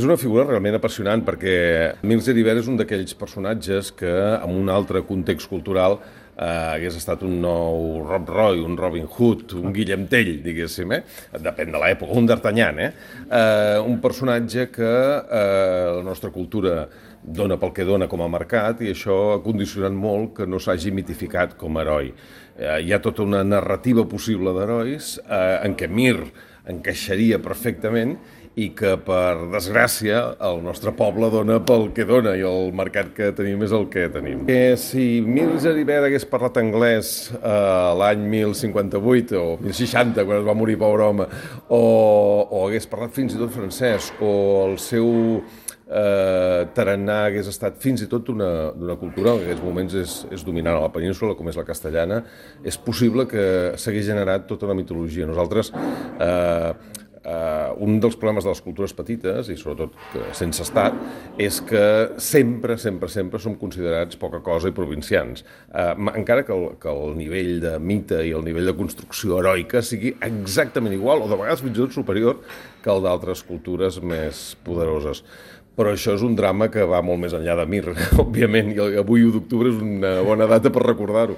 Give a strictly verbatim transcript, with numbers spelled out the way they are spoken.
És una figura realment apassionant perquè Emil Geribert és un d'aquells personatges que en un altre context cultural eh, hagués estat un nou Rob Roy, un Robin Hood, un Guillem Tell, diguéssim, eh? Depèn de l'època, un D'Artagnan, eh? eh? Un personatge que eh, la nostra cultura dona pel que dona com a mercat i això ha condicionat molt que no s'hagi mitificat com a heroi. Eh, hi ha tota una narrativa possible d'herois eh, en què Mir encaixaria perfectament i que, per desgràcia, el nostre poble dona pel que dona i el mercat que tenim és el que tenim. Que si Emil Geribert hagués parlat anglès eh, l'any mil cinquanta-vuit o mil seixanta, quan es va morir, pobre home, o, o hagués parlat fins i tot francès, o el seu eh, tarannà hagués estat fins i tot d'una cultura que en aquests moments és, és dominant a la península, com és la castellana, és possible que s'hagués generat tota una mitologia. Nosaltres... Eh, Uh, un dels problemes de les cultures petites, i sobretot que sense estat, és que sempre, sempre, sempre som considerats poca cosa i provincians. Uh, encara que el, que el nivell de mite i el nivell de construcció heroica sigui exactament igual, o de vegades fins i tot superior, que el d'altres cultures més poderoses. Però això és un drama que va molt més enllà de Mir, òbviament, i avui u d'octubre és una bona data per recordar-ho.